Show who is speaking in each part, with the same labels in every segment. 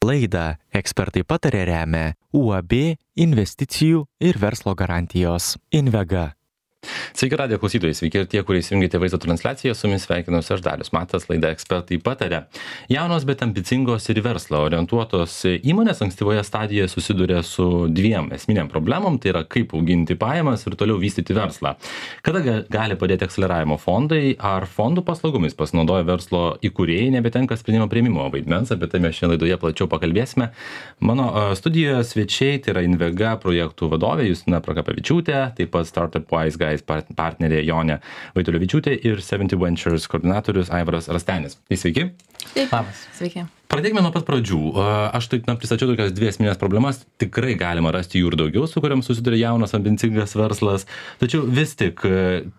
Speaker 1: Laidą Ekspertai patarė remia UAB investicijų ir verslo garantijos Invega.
Speaker 2: Sveiki radijo klausytojai, sveiki ir tie, kurie įsijungėte vaizdo transliaciją, su jumis sveikinuosi aš Dalius Matas, laida Ekspertai patarė. Jaunos, bet ambicingos ir į verslą orientuotos įmonės ankstyvoje stadijoje susiduria su dviem esminiam problemom, tai yra kaip auginti pajamas ir toliau vystyti verslą. Kada gali padėti akceleravimo fondai, ar fondų paslaugomis pasinaudoja verslo įkūrėjai, nebetenka sprendimo priėmimo vaidmens, apie tai mes šiandien laidoje plačiau pakalbėsime. Mano studijoje svečiai, tai yra Invega projektų vadovė Justina Prakapavičiūtė, taip pat Startup Wise Guys partnerė Jonė Vaitulevičiūtė ir 70 Ventures koordinatorius Aivaras Rastenis. Tai sveiki.
Speaker 3: Sveiki.
Speaker 2: Pradėkime nuo pat pradžių. Aš taip pristačiau tokias dvi esminės problemas. Tikrai galima rasti jų ir daugiau, su kuriam susiduria jaunas, ambicingas verslas. Tačiau vis tik,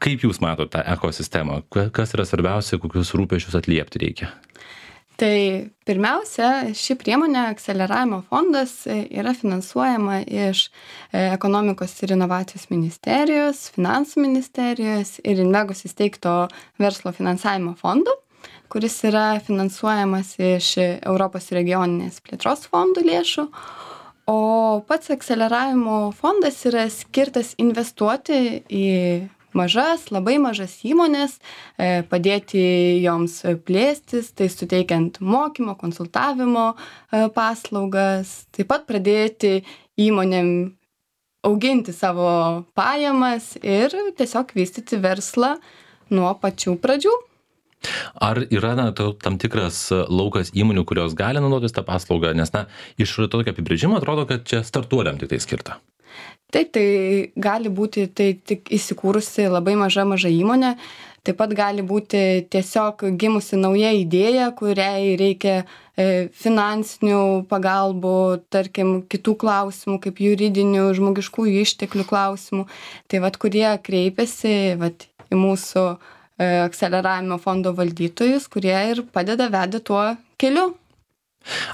Speaker 2: kaip jūs matote tą ekosistemą? Kas yra svarbiausia, kokius rūpesčius atliepti reikia?
Speaker 3: Tai pirmiausia, ši priemonė akceleravimo fondas yra finansuojama iš ekonomikos ir inovacijos ministerijos, finansų ministerijos ir Invegos įsteigto verslo finansavimo fondų, kuris yra finansuojamas iš Europos regioninės plėtros fondų lėšų. O pats akceleravimo fondas yra skirtas investuoti į labai mažas įmonės, padėti joms plėstis, tai suteikiant mokymo, konsultavimo paslaugas, taip pat pradėti įmonėm auginti savo pajamas ir tiesiog vystyti verslą nuo pačių pradžių.
Speaker 2: Ar yra tam tikras laukas įmonių, kurios gali naudotis tą paslaugą, nes iš tokio apibrėžimo atrodo, kad čia startuoliam tik tai skirta.
Speaker 3: Taip, tai gali būti tik įsikūrusi labai maža įmonė, taip pat gali būti tiesiog gimusi nauja idėja, kuriai reikia finansinių pagalbų, tarkim, kitų klausimų, kaip juridinių, žmogiškųjų išteklių klausimų. Tai kurie kreipiasi į mūsų akceleravimo fondo valdytojus, kurie ir veda tuo keliu.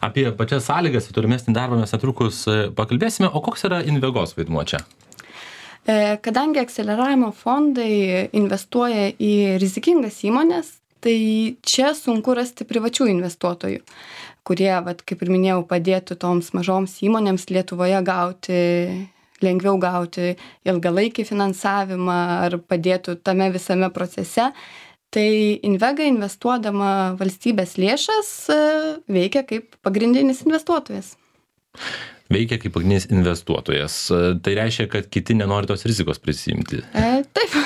Speaker 2: Apie pačias sąlygas ir tolimesnį darbą mes netrukus pakalbėsime, o koks yra Invegos vaidmuo čia?
Speaker 3: Kadangi akceleravimo fondai investuoja į rizikingas įmonės, tai čia sunku rasti privačių investuotojų, kurie, kaip ir minėjau, padėtų toms mažoms įmonėms Lietuvoje lengviau gauti ilgalaikį finansavimą ar padėtų tame visame procese. Tai Invega investuodama valstybės lėšas veikia kaip pagrindinis investuotojas.
Speaker 2: Veikia kaip pagrindinis investuotojas. Tai reiškia, kad kiti nenori tos rizikos prisiimti.
Speaker 3: Taip.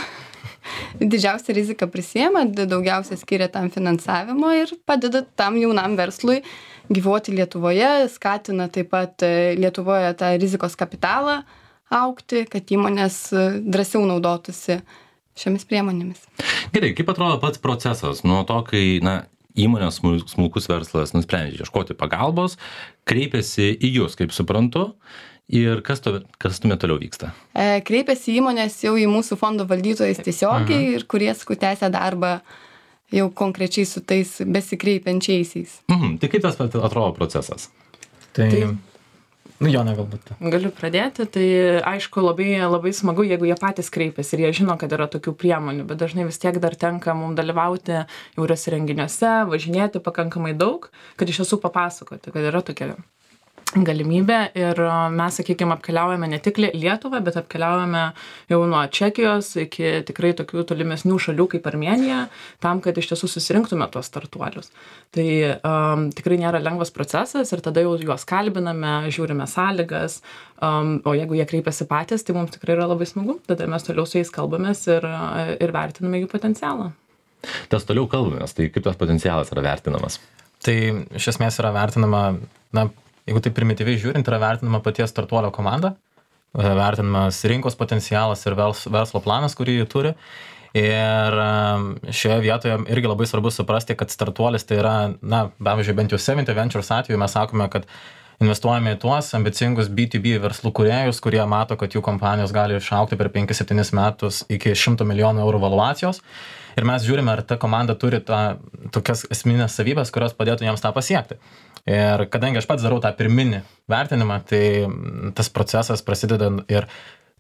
Speaker 3: Didžiausią riziką prisiema, daugiausia skiria tam finansavimo ir padeda tam jaunam verslui gyvuoti Lietuvoje, skatina taip pat Lietuvoje tą rizikos kapitalą augti, kad įmonės drąsiau naudotųsi šiomis priemonėmis.
Speaker 2: Gerai, kaip atrodo pats procesas nuo to, kai įmonės smulkus verslas nusprendžia ieškoti pagalbos, kreipiasi į jūs, kaip suprantu, ir kas tuomet toliau vyksta?
Speaker 3: Kreipiasi įmonės jau į mūsų fondo valdytojus tiesiogiai ir kurie tęsia darbą jau konkrečiai su tais besikreipiančiaisiais.
Speaker 2: Tai kaip tas atrodo procesas?
Speaker 4: Jonė galbūt.
Speaker 5: Galiu pradėti, tai aišku labai smagu, jeigu jie patys kreipiasi ir jie žino, kad yra tokių priemonių, bet dažnai vis tiek dar tenka mums dalyvauti įvairiuose renginiuose, važinėti pakankamai daug, kad iš tiesų papasakoti, kad yra tokia galimybė ir mes, sakykime, apkeliaujame ne tik Lietuvą, bet apkeliaujame jau nuo Čekijos iki tikrai tokių tolimesnių šalių kaip Armėnija, tam, kad iš tiesų susirinktume tuos startuolius. Tai tikrai nėra lengvas procesas ir tada jau juos kalbiname, žiūrime sąlygas, o jeigu jie kreipiasi patys, tai mums tikrai yra labai smagu, tada mes toliau su jais kalbamės ir vertiname jų potencialą.
Speaker 2: Tas toliau kalbamės, tai kaip tas potencialas yra vertinamas?
Speaker 4: Tai iš esmės yra vertinama, jeigu tai primityviai žiūrint, yra vertinama paties startuolio komanda, vertinamas rinkos potencialas ir verslo planas, kurį jį turi. Ir šioje vietoje irgi labai svarbu suprasti, kad startuolis tai yra, pavyzdžiui, bent jau 70 Ventures atveju mes sakome, kad investuojame į tuos ambicingus B2B verslų kūrėjus, kurie mato, kad jų kompanijos gali išaugti per 5-7 metus iki 100 milijonų eurų valuacijos. Ir mes žiūrime, ar ta komanda turi tokias esminės savybės, kurios padėtų jiems tą pasiekti. Ir kadangi aš pats darau tą pirminį vertinimą, tai tas procesas prasideda ir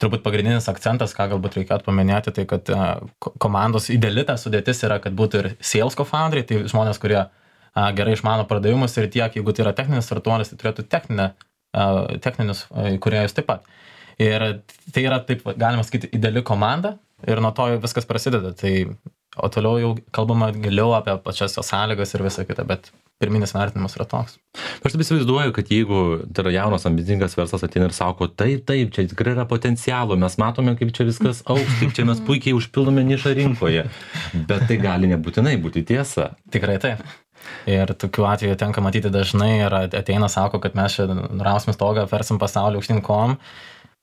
Speaker 4: turbūt pagrindinis akcentas, ką galbūt reikėtų paminėti, tai kad komandos ideali ta sudėtis yra, kad būtų ir sales co-founderiai, tai žmonės, kurie gerai išmano pardavimus ir tiek, jeigu tai yra techninis startuolis, tai turėtų techninius kūrėjus taip pat. Ir tai yra, taip galima sakyti, ideali komanda ir nuo to viskas prasideda. Tai, o toliau jau kalbama giliau apie pačias sąlygas ir visą kitą, bet pirminis vertinimas yra toks.
Speaker 2: Aš taip įsivaizduoju, kad jeigu tai yra jaunas ambicingas verslas ateina ir sako, taip, čia tikrai yra potencialo, mes matome, kaip čia viskas augs, kaip čia mes puikiai užpildome nišą rinkoje, bet tai gali nebūtinai būti tiesa.
Speaker 4: Tikrai taip. Ir tokių atvejų tenka matyti dažnai ir ateina, sako, kad mes čia nurausim stogą, versim pasaulį aukštyn kojom,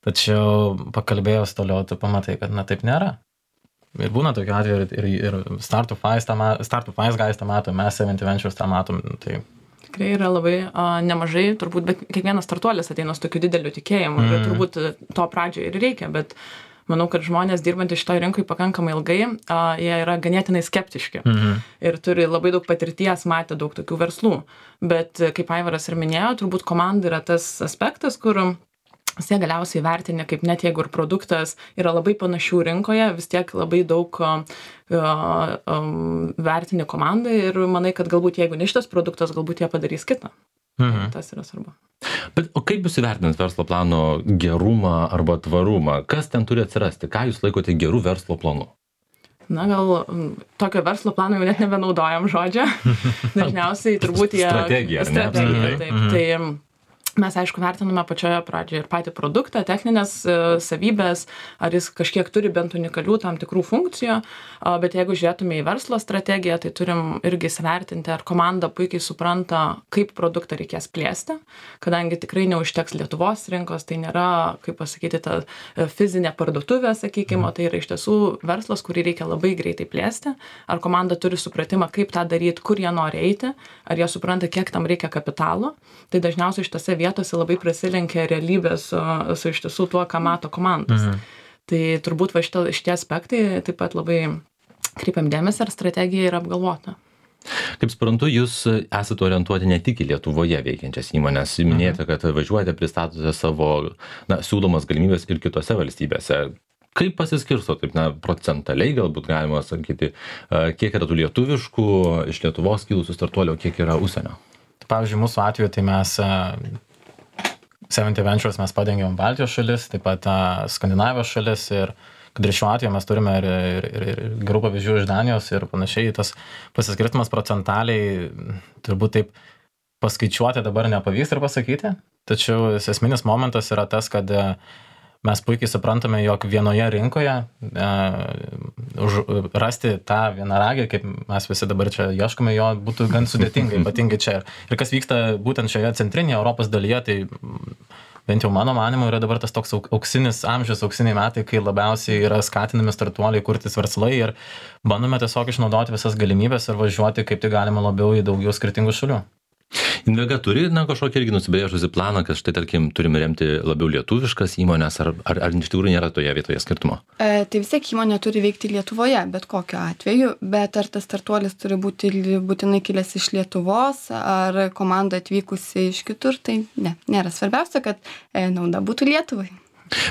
Speaker 4: tačiau pakalbėjus toliau, tu pamatai, kad taip nėra. Ir būna tokių atvejų ir Startup Wise guys tą mato, mes 70 Ventures tą matom. Tai
Speaker 5: tikrai yra labai nemažai, turbūt, bet kiekvienas startuolis ateina su tokiu dideliu tikėjimu ir turbūt to pradžioje ir reikia, bet manau, kad žmonės dirbantys šitoje rinkoje pakankamai ilgai, jie yra ganėtinai skeptiški ir turi labai daug patirties, matė daug tokių verslų. Bet kaip Aivaras ir minėjo, turbūt komanda yra tas aspektas, kur jie galiausiai vertinė, kaip net jeigu ir produktas yra labai panašių rinkoje, vis tiek labai daug vertinė komanda ir manai, kad galbūt jeigu ne šitas produktas, galbūt jie padarys kitą. Tas yra svarbu.
Speaker 2: Bet o kaip jūs įvertinat verslo plano gerumą arba tvarumą? Kas ten turi atsirasti? Ką jūs laikote gerų verslo planu?
Speaker 5: Na, gal tokio verslo plano jau net nebenaudojam žodžio. Dažniausiai turbūt jie...
Speaker 2: Strategija, ar ne?
Speaker 5: Strategija, taip. Tai mes, aišku, vertiname pačioje pradžioje ir patį produktą, techninės savybės, ar jis kažkiek turi bent unikalių tam tikrų funkcijų, bet jeigu žiūrėtume į verslo strategiją, tai turim irgi įsivertinti, ar komanda puikiai supranta, kaip produktą reikės plėsti, kadangi tikrai neužteks Lietuvos rinkos, tai nėra, kaip pasakyti, ta fizinė parduotuvė, sakykime, tai yra iš tiesų verslas, kurį reikia labai greitai plėsti, ar komanda turi supratimą, kaip tą daryti, kur jie nori eiti, ar jie supranta, kiek tam reikia kapitalo, tai dažniausiai šitose vietose labai prasilenkia realybė su iš tiesų tuo, ką mato komandos. Tai turbūt šitie aspektai taip pat labai kreipiam dėmesį, ar strategija yra apgalvota.
Speaker 2: Kaip suprantu, jūs esate orientuoti ne tik į Lietuvoje veikiančias įmonės. Minėjote, kad važiuojate, pristatote savo siūlomas galimybės ir kitose valstybėse. Kaip pasiskirsto, taip, procentaliai galbūt galima sakyti, kiek yra tų lietuviškų, iš Lietuvos kilusių startuolių, kiek yra užsienio?
Speaker 4: Pavyzdžiui, mūsų atveju tai mes 70 Ventures mes padengiam Baltijos šalis, taip pat Skandinavijos šalis ir kad ir šiuo atveju mes turime ir gerų pavyzdžių iš Danijos ir panašiai, tas pasiskirtimas procentaliai turbūt taip paskaičiuoti dabar nepavyks ir pasakyti, tačiau esminis momentas yra tas, kad mes puikiai suprantame, jog vienoje rinkoje rasti tą vienaragį, kaip mes visi dabar čia ieškome, jo būtų gan sudėtinga, ypatingai čia. Ir kas vyksta būtent šioje centrinėje Europos dalyje, tai bent jau mano manymu yra dabar tas toks auksinis amžius, auksiniai metai, kai labiausiai yra skatinami startuoliai kurtis verslai ir bandome tiesiog išnaudoti visas galimybės ir važiuoti kaip tai galima labiau į daugiau skirtingų šalių.
Speaker 2: Invega turi kažkokį irgi nusibrėžusi planą, kad štai, tarkim, turime remti labiau lietuviškas įmonės, ar iš tikrųjų nėra toje vietoje skirtumo?
Speaker 3: Tai vis tiek įmonė turi veikti Lietuvoje, bet kokiu atveju, bet ar tas startuolis turi būti būtinai kilęs iš Lietuvos, ar komanda atvykusi iš kitur, tai nėra svarbiausia, kad nauda būtų Lietuvai.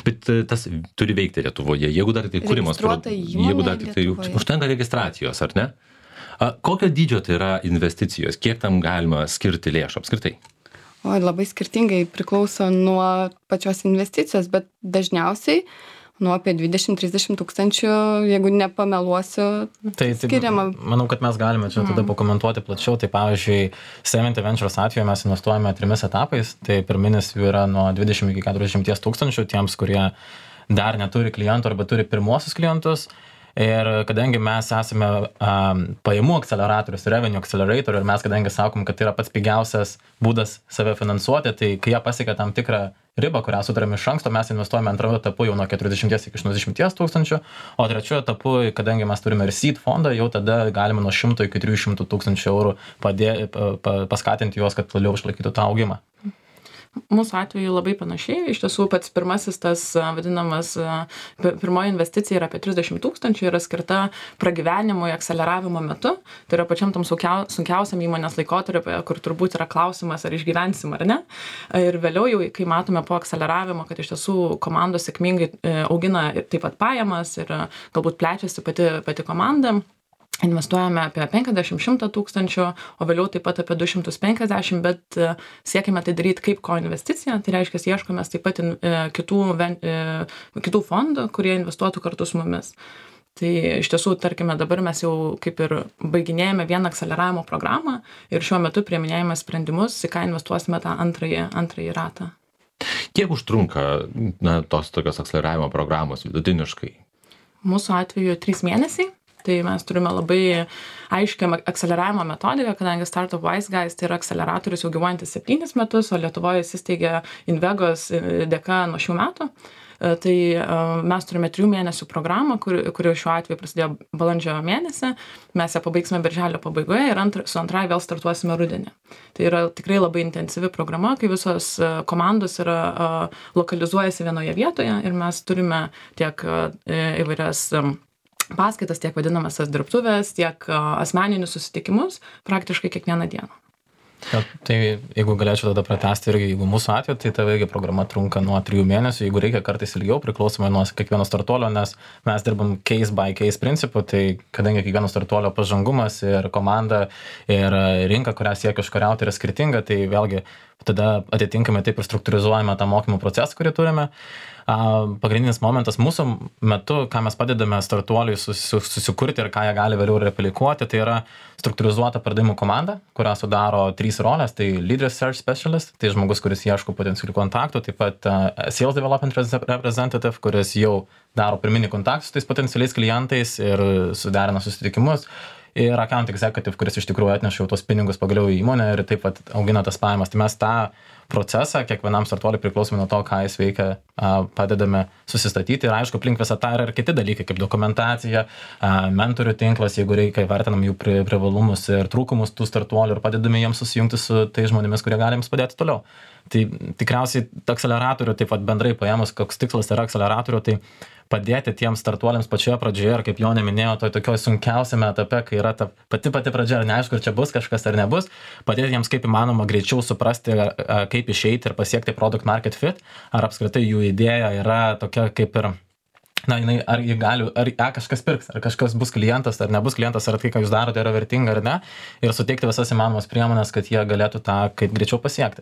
Speaker 2: Bet tas turi veikti Lietuvoje, jeigu dar tai kūrimas, jeigu dar tai užtenka registracijos, ar ne? Kokio dydžio tai yra investicijos? Kiek tam galima skirti lėšų apskritai?
Speaker 3: Labai skirtingai priklauso nuo pačios investicijos, bet dažniausiai nuo apie 20-30 tūkstančių, jeigu nepameluosiu, skiriama.
Speaker 4: Manau, kad mes galime čia tada pakomentuoti plačiau. Tai pavyzdžiui, 70 Ventures atveju mes investuojame 3 etapais. Tai pirminis jų yra nuo 20 iki 40 tūkstančių tiems, kurie dar neturi klientų arba turi pirmuosius klientus. Ir kadangi mes esame pajamų akceleratorius, revenue accelerator, ir mes kadangi sakom, kad tai yra pats pigiausias būdas save finansuoti, tai kai jie pasiekia tam tikrą ribą, kurią sutarėme iš anksto, mes investuojame antrojo etapu jau nuo 40 iki 80 tūkstančių, o trečiojo etapu, kadangi mes turime ir seed fondą, jau tada galime nuo 100 iki 300 tūkstančių eurų paskatinti juos, kad toliau išlaikytų tą augimą.
Speaker 5: Mūsų atveju labai panašiai, iš tiesų pats pirmasis tas vadinamas, pirmoji investicija yra apie 30 tūkstančių, yra skirta pragyvenimui, akceleravimo metu, tai yra pačiam tam sunkiausiam įmonės laikotarpiu, kur turbūt yra klausimas, ar išgyvensim ar ne. Ir vėliau jau, kai matome po akceleravimo, kad iš tiesų komandos sėkmingai augina taip pat pajamas ir galbūt plečiasi pati komanda, investuojame apie 50-100 tūkstančių, o vėliau taip pat apie 250, bet siekime tai daryti kaip koinvesticiją, tai reiškia, ieškome taip pat kitų fondų, kurie investuotų kartu su mumis. Tai iš tiesų, tarkime, dabar mes jau kaip ir baiginėjame vieną akceleravimo programą ir šiuo metu priiminėjame sprendimus, į ką investuosime tą antrąjį ratą.
Speaker 2: Kiek užtrunka tos tokios akceleravimo programos vidutiniškai?
Speaker 5: Mūsų atveju 3 mėnesiai. Tai mes turime labai aiškią akceleravimo metodiką, kadangi Startup Wise Guys tai yra akceleratorius jau gyvuojantis 7 metus, o Lietuvoje įsisteigė Invegos dėka nuo šių metų. Tai mes turime 3 mėnesių programą, kuri šiuo atveju prasidėjo balandžio mėnesį. Mes ją pabaigsime birželio pabaigoje ir su antrąja vėl startuosime rudenį. Tai yra tikrai labai intensyvi programa, kai visos komandos lokalizuojasi vienoje vietoje ir mes turime tiek įvairias paskaitas, tiek vadinamasias dirbtuvės, tiek asmeninius susitikimus praktiškai kiekvieną dieną.
Speaker 4: Ja, tai jeigu galėčiau tada pratęsti irgi, jeigu mūsų atveju, tai ta vėlgi programa trunka nuo 3 mėnesių, jeigu reikia kartais ilgiau, priklausomai nuo kiekvieno startuolio, nes mes dirbam case by case principu, tai kadangi kiekvieno startuolio pažangumas ir komanda ir rinka, kurią siekia užkariauti, yra skirtinga, tai vėlgi tada atitinkamai taip ir struktūrizuojame tą mokymų procesą, kurį turime. Pagrindinis momentas mūsų metu, ką mes padedame startuoliui susikurti ir ką jie gali vėliau replikuoti, tai yra struktūrizuota pardavimų komanda, kurią sudaro 3 rolės, tai Lead Research Specialist, tai žmogus, kuris ieško potencialių kontaktų, taip pat Sales Development Representative, kuris jau daro pirminį kontaktą su tais potencialiais klientais ir suderina susitikimus, ir Account Executive, kuris iš tikrųjų atneša jau tos pinigus pagaliau į įmonę ir taip pat augina tas pajamas. Tai mes tą procesą kiekvienam startuoliui priklausomai nuo to, ką jis veikia, padedame susistatyti ir aišku, aplink visą tą yra ir kiti dalykai, kaip dokumentacija, mentorių tinklas, jeigu reikia, vertinam jų privalumus ir trūkumus tų startuolių ir padedame jiems susijungti su tais žmonėmis, kurie gali jiems padėti toliau. Tai tikriausiai akceleratorių, taip pat bendrai paėmus, koks tikslas yra akceleratorių, tai padėti tiems startuoliams pačioje pradžioje, ir kaip Jonė minėjo, tokioje sunkiausiame etape, kai yra ta pati pradžia, ar neaišku, ar čia bus kažkas ar nebus, padėti jiems kaip įmanoma greičiau suprasti, kaip išeiti ir pasiekti product market fit, ar apskritai jų idėja yra tokia kaip ir, ar kažkas pirks, ar kažkas bus klientas, ar nebus klientas, ar tai, ką jūs darote, yra vertinga ar ne, ir suteikti visas įmanomas priemonės, kad jie galėtų tą kaip greičiau pasiekti.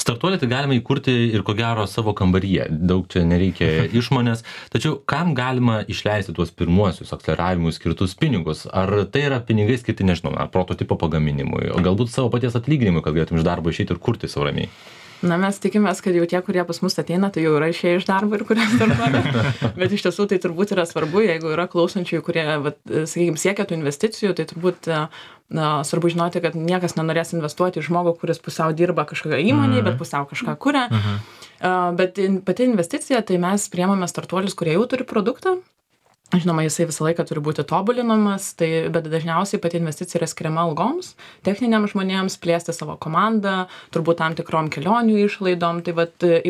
Speaker 2: Startuolį tai galima įkurti ir ko gero savo kambaryje, daug čia nereikia išmonės, tačiau kam galima išleisti tuos pirmuosius akceleravimui skirtus pinigus? Ar tai yra pinigai skirti, nežinau, prototipo pagaminimui, o galbūt savo paties atlyginimui, kad galėtum iš darbo išeiti ir kurti savo ramiai?
Speaker 5: Na, mes tikimės, kad jau tie, kurie pas mus ateina, tai jau yra išėję iš darbo ir kurie startuoja. Bet iš tiesų tai turbūt yra svarbu, jeigu yra klausančiųjų, kurie, sakykime, siekia tų investicijų, tai turbūt svarbu žinoti, kad niekas nenorės investuoti į žmogų, kuris pusiau dirba kažkokią įmonėje, bet pusiau kažką kuria. Bet pati investicija, tai mes priemame startuolius, kurie jau turi produktą. Žinoma, jisai visą laiką turi būti tobulinamas, bet dažniausiai pati investicija yra skiriama algoms, techniniams žmonėms, plėsti savo komandą, turbūt tam tikrom kelionių išlaidom, tai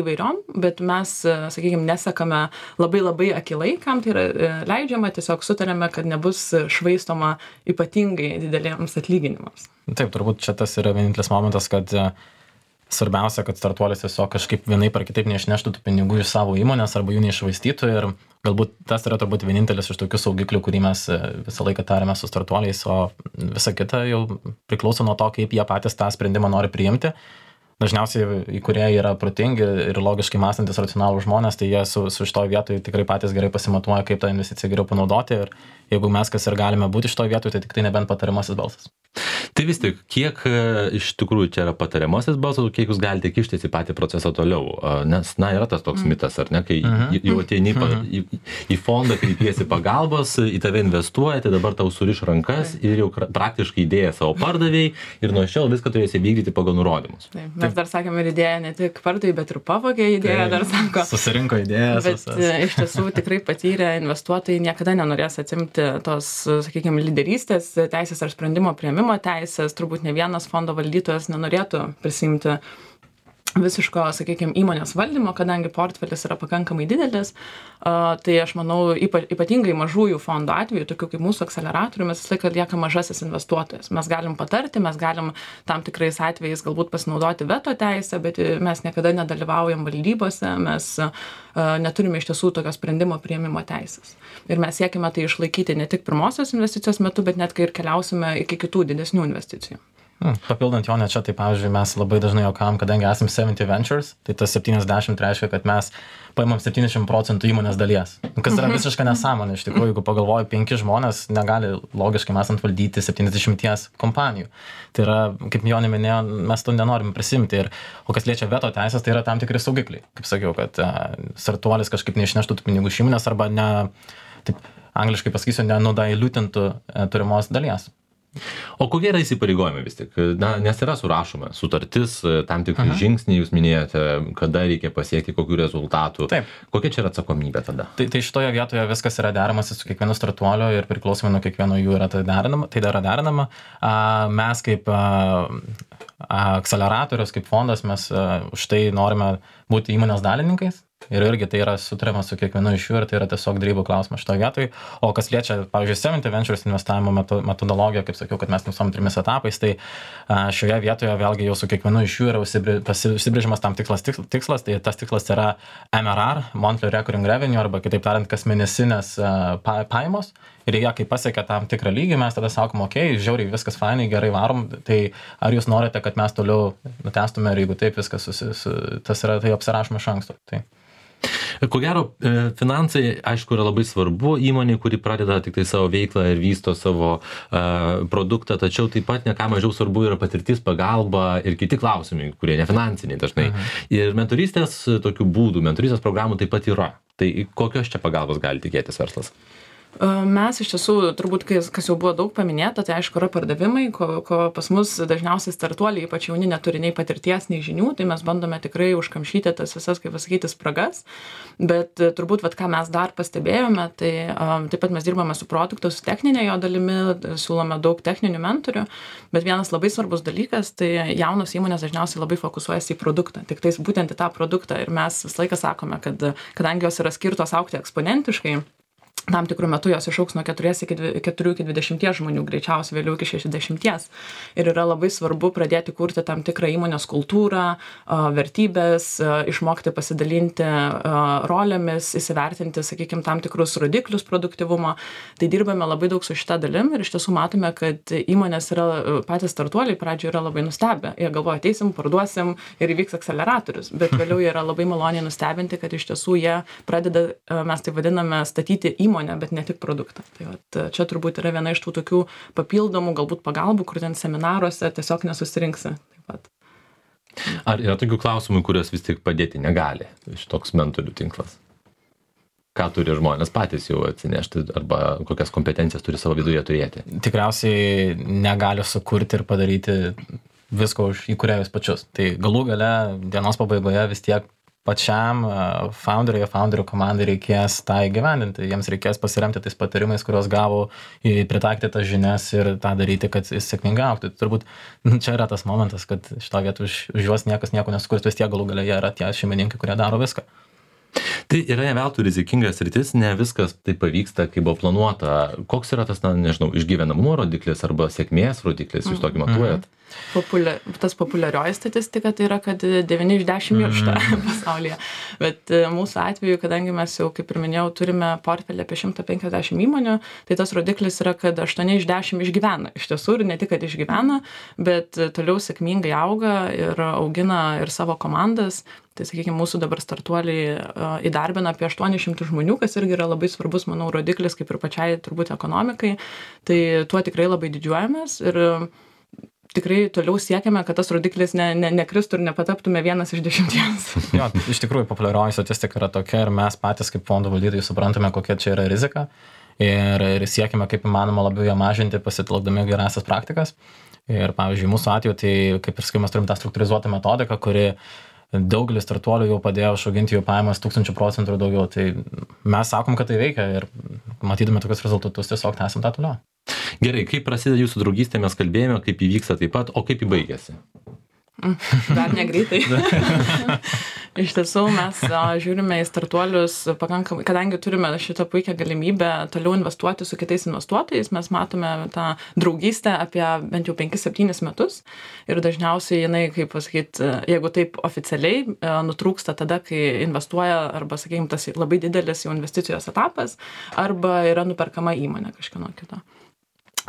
Speaker 5: įvairiom, bet mes, sakykime, nesekame labai akilai, kam tai yra leidžiama, tiesiog sutarėme, kad nebus švaistoma ypatingai dideliems atlyginimams.
Speaker 4: Taip, turbūt čia tas yra vienintelis momentas, kad svarbiausia, kad startuolis tiesiog kažkaip vienaip ar kitaip neišneštų tų pinigų iš savo įmonės arba jų neiššvaistytų ir galbūt tas yra turbūt vienintelis iš tokių saugiklių, kurį mes visą laiką tarėme su startuoliais, o visa kita jau priklauso nuo to, kaip jie patys tą sprendimą nori priimti. Dažniausiai įkūrėjai yra protingi ir logiškai mąstantis racionalūs žmonės, tai jie su šitoj vietoj tikrai patys gerai pasimatuoja, kaip tą investiciją geriau panaudoti ir jeigu mes kas ir galime būti šitoj vietoj, tai tik tai nebent patariamasis balsas.
Speaker 2: Tai vis tik, kiek iš tikrųjų čia yra patariamasis balsas, kiek jūs galite kištis į patį procesą toliau? Nes, yra tas toks mitas, ar ne, kai jau ateini į fondą, kreipiesi pagalbos, į tave investuoja, tai dabar tau suriš rankas ir jau praktiškai idėją savo pardavėjai ir nuo šiol viską turėsi vykdyti pagal nurodymus.
Speaker 5: Taip, mes dar sakėme ir idėją ne tik pardavėjai, bet ir pavogė idėją, dar sako.
Speaker 4: Susirinko idėjas.
Speaker 5: Bet iš tiesų tikrai patyrę investuotojai niekada nenorės atimti tos, sakykime, lyderystės teisės ar sprendimo priėmimo teisės, turbūt ne vienas fondo valdytojas nenorėtų prisimti visiško, sakykime, įmonės valdymo, kadangi portfelis yra pakankamai didelis, tai aš manau, ypatingai mažųjų fondų atveju, tokių kaip mūsų akceleratorių, mes visą laiką lieka mažasis investuotojas. Mes galim patarti, mes galim tam tikrais atvejais galbūt pasinaudoti veto teisę, bet mes niekada nedalyvaujam valdybose, mes neturime iš tiesų tokio sprendimo priėmimo teisės. Ir mes siekime tai išlaikyti ne tik pirmosios investicijos metu, bet net kai ir keliausime iki kitų didesnių investicijų.
Speaker 4: Papildant jo, čia, tai pavyzdžiui, mes labai dažnai juokavom, kadangi esame 70 Ventures, tai tas 70 reiškia, kad mes paimam 70% įmonės dalies. Kas yra visiška nesąmonė, iš tikrųjų, jeigu pagalvoju, 5 žmonės negali logiškai mesant valdyti 70 kompanijų. Tai yra, kaip Jonė minėjo, mes to nenorim prisimti. O kas liečia veto teisės, tai yra tam tikri saugikliai. Kaip sakiau, kad startuolis kažkaip neišneštų tų pinigų iš įmonės arba taip angliškai pasakysiu, nenudailutintų turimos dalies.
Speaker 2: O kokie yra įsipareigojimai vis tik? Nes yra surašoma sutartis, tam tikri žingsniai, jūs minėjote, kada reikia pasiekti kokių rezultatų.
Speaker 4: Taip.
Speaker 2: Kokia čia yra atsakomybė tada?
Speaker 4: Tai šitoje vietoje viskas yra deramasi su kiekvienu startuoliu ir priklausomai nuo kiekvieno jų yra tai yra derinama. Mes kaip akceleratorius, kaip fondas, mes už tai norime būti įmonės dalininkais. Ir irgi tai yra sutariama su kiekvienu iš jų ir tai yra tiesiog derybų klausimas šitoje vietoje. O kas liečia, pavyzdžiui, 70 Ventures investavimo metodologiją, kaip sakiau, kad mes nusom 3 etapais, tai šioje vietoje vėlgi jau su kiekvienu iš jų yra užsibrėžimas tam tikslas, tai tas tikslas yra MRR, Monthly Recurring Revenue, arba kitaip tariant, kasmėnesinės pajamos. Ir jie, kai pasiekia tam tikrą lygį, mes tada sakom, okei, žiauriai viskas fainai, gerai varom, tai ar jūs norite, kad mes toliau nutestume ir jeigu taip viskas tas yra, tai apsirašome iš anksto. Tai.
Speaker 2: Ko gero, finansai, aišku, yra labai svarbu įmonė, kuri pradeda tik tai savo veiklą ir vysto savo produktą, tačiau taip pat ne ką mažiau svarbu yra patirtis, pagalba ir kiti klausimai, kurie nefinansiniai dažnai. Ir mentorystės tokių būdų, mentorystės programų taip pat yra. Tai kokios čia pagalbos gali tikėtis verslas?
Speaker 5: Mes iš tiesų, turbūt, kas jau buvo daug paminėta, tai aišku yra pardavimai, ko pas mus dažniausiai startuoliai, ypač jauni, neturi nei patirties, nei žinių, tai mes bandome tikrai užkamšyti tas visas, kaip pasakyti, spragas, bet turbūt, ką mes dar pastebėjome, tai taip pat mes dirbame su produktu, su techninė jo dalimi, siūlome daug techninių mentorių, bet vienas labai svarbus dalykas, tai jaunos įmonės dažniausiai labai fokusuojasi į produktą, tik tais būtent į tą produktą ir mes visą laiką sakome, kad kadangi jos yra skirtos augti eksponentiškai, tam tikrų metų jos išauks nuo 4 iki 20 žmonių, greičiausiai vėliau iki 60. Ir yra labai svarbu pradėti kurti tam tikrą įmonės kultūrą, vertybės, išmokti pasidalinti rolėmis, įsivertinti, sakykime, tam tikrus rodiklius produktyvumo. Tai dirbame labai daug su šita dalim ir iš tiesų matome, kad įmonės yra, patys startuoliai pradžioje yra labai nustebę. Jie galvoja, ateisim, parduosim ir įvyks akceleratorius, bet vėliau jie yra labai maloniai nustebinti, kad iš tiesų jie pradeda, mes tai vadiname, statyti įmonę, bet ne tik produktą. Tai čia turbūt yra viena iš tų tokių papildomų galbūt pagalbų, kur ten seminaruose tiesiog nesusirinksi. Taip pat.
Speaker 2: Ar yra tokių klausimų, kurios vis tik padėti negali šitoks mentorių tinklas? Ką turi žmonės patys jau atsinešti arba kokias kompetencijas turi savo viduje turėti?
Speaker 4: Tikriausiai negali sukurti ir padaryti visko už įkūrėjus pačius. Tai galų gale dienos pabaigoje vis tiek pačiam founderių komandai reikės tą įgyvendinti. Jiems reikės pasiremti tais patarimais, kuriuos gavo, pritaikyti tas žinias ir tą daryti, kad jis sėkmingai augtų. Turbūt čia yra tas momentas, kad šitą vietą už juos niekas nieko nesukurs, vis tiek galų gale jie yra tie šeimininkai, kurie daro viską.
Speaker 2: Tai yra ne veltui rizikingas sritis, ne viskas taip pavyksta, kaip buvo planuota. Koks yra tas, išgyvenamumo rodiklis arba sėkmės rodiklis, jūs tokį matuojat?
Speaker 5: Tas populiarioji statistika tai yra, kad 9 iš 10 miršta pasaulyje. Bet mūsų atveju, kadangi mes jau, kaip ir minėjau, turime portfelį apie 150 įmonių, tai tas rodiklis yra, kad 8 iš 10 išgyvena. Iš tiesų, ir ne tik, kad išgyvena, bet toliau sėkmingai auga ir augina ir savo komandas. Tai, sakykime, mūsų dabar startuoliai įdarbina apie 800 žmonių, kas irgi yra labai svarbus, manau, rodiklis, kaip ir pačiai turbūt ekonomikai. Tai tuo tikrai labai didžiuojamės ir tikrai toliau siekiame, kad tas rodiklis nekristų ir nepataptume 1 iš 10.
Speaker 4: Jo, iš tikrųjų, populiarioji statistika yra tokia ir mes patys kaip fondų valdytojai suprantame, kokia čia yra rizika ir siekime kaip įmanoma labiau ją mažinti, pasitelkdami gerąsias praktikas. Ir, pavyzdžiui, mūsų atveju, tai kaip ir sakai, mes turim tą struktūrizuotą metodiką, kuri daugelis startuolių jau padėjo išauginti jų pajamas 1000% ir daugiau. Tai mes sakom, kad tai veikia ir matydami tokius rezultatus tiesiog tęsim tą toliau.
Speaker 2: Gerai, kaip prasideda jūsų draugystė, mes kalbėjome, kaip įvyksta taip pat, o kaip įbaigėsi?
Speaker 5: Dar negreitai. Iš tiesų mes žiūrime į startuolius pakankamai, kadangi turime šitą puikią galimybę toliau investuoti su kitais investuotojais, mes matome tą draugystę apie bent jau 5-7 metus ir dažniausiai jinai, kaip pasakyti, jeigu taip oficialiai nutrūksta tada, kai investuoja arba, sakykime, tas labai didelis jau investicijos etapas arba yra nuperkama įmonė kažkieno kito.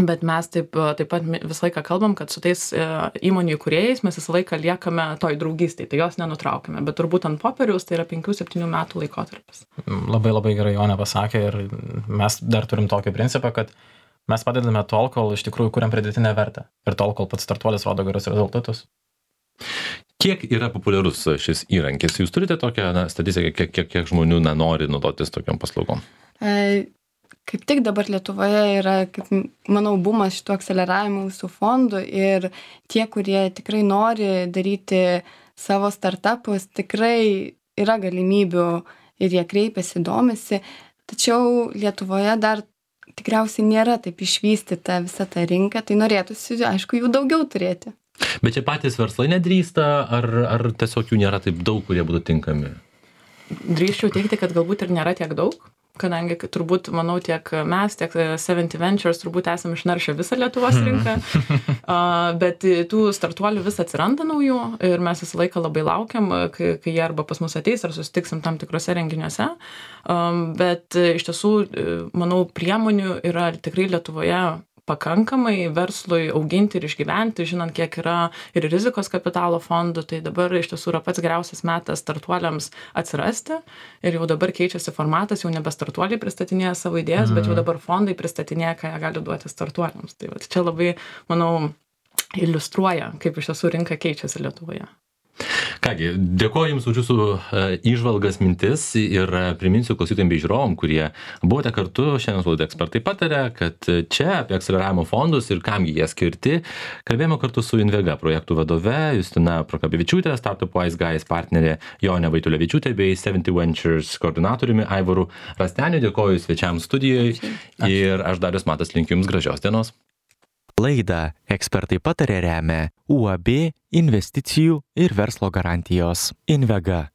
Speaker 5: Bet mes taip pat visą laiką kalbam, kad su tais įmonių įkūrėjais mes visą laiką liekame toj draugystėj, tai jos nenutraukime, bet turbūt ant popieriaus tai yra 5-7 metų laikotarpis.
Speaker 4: Labai labai gerai Jonė pasakė ir mes dar turim tokį principą, kad mes padedame tol, kol iš tikrųjų kuriam pridėtinę vertę ir tol, kol pats startuolis rodo gerus rezultatus.
Speaker 2: Kiek yra populiarus šis įrankis? Jūs turite tokią statistiką, kiek žmonių nori naudotis tokiam paslaugom?
Speaker 3: Kaip tik dabar Lietuvoje yra, kaip manau, bumas šitų akceleravimų visų fondų ir tie, kurie tikrai nori daryti savo startupus, tikrai yra galimybių ir jie kreipiasi, domisi, tačiau Lietuvoje dar tikriausiai nėra taip išvystyta visa ta rinka, tai norėtųsi, aišku, jų daugiau turėti.
Speaker 2: Bet čia patys verslai nedrįsta, ar tiesiog jų nėra taip daug, kurie būtų tinkami?
Speaker 5: Drįsčiau teigti, kad galbūt ir nėra tiek daug, kadangi turbūt, manau, tiek mes, tiek 70 Ventures turbūt esame išnaršę visą Lietuvos rinką, bet tų startuolių vis atsiranda naujų ir mes visą laiką labai laukiam, kai jie arba pas mus ateis ar susitiksim tam tikrose renginiuose, bet iš tiesų, manau, priemonių yra tikrai Lietuvoje pakankamai verslui auginti ir išgyventi, žinant, kiek yra ir rizikos kapitalo fondų, tai dabar iš tiesų yra pats geriausias metas startuoliams atsirasti ir jau dabar keičiasi formatas, jau nebe startuoliai pristatinėja savo idėjas, bet jau dabar fondai pristatinėja, ką jie gali duoti startuoliams. Tai čia labai, manau, iliustruoja, kaip iš tiesų rinka keičiasi Lietuvoje.
Speaker 2: Kągi, dėkoju Jums už Jūsų įžvalgas, mintis ir priminsiu klausytojams bei žiūrovam, kurie buvote kartu šiandien su laida Ekspertai pataria, kad čia apie akceleravimo fondus ir kam jie skirti kalbėjome kartu su Invega projektų vadove Justina Prokapevičiūtė, Startup Wise Guys partnerė Jonė Vaitulevičiūtė bei 70 Ventures koordinatoriumi Aivaru Rasteniu. Dėkoju svečiams studijoje ir aš Darius Matas linkiu Jums gražios dienos.
Speaker 1: Laidą Ekspertai pataria remia UAB investicijų ir verslo garantijos. Invega.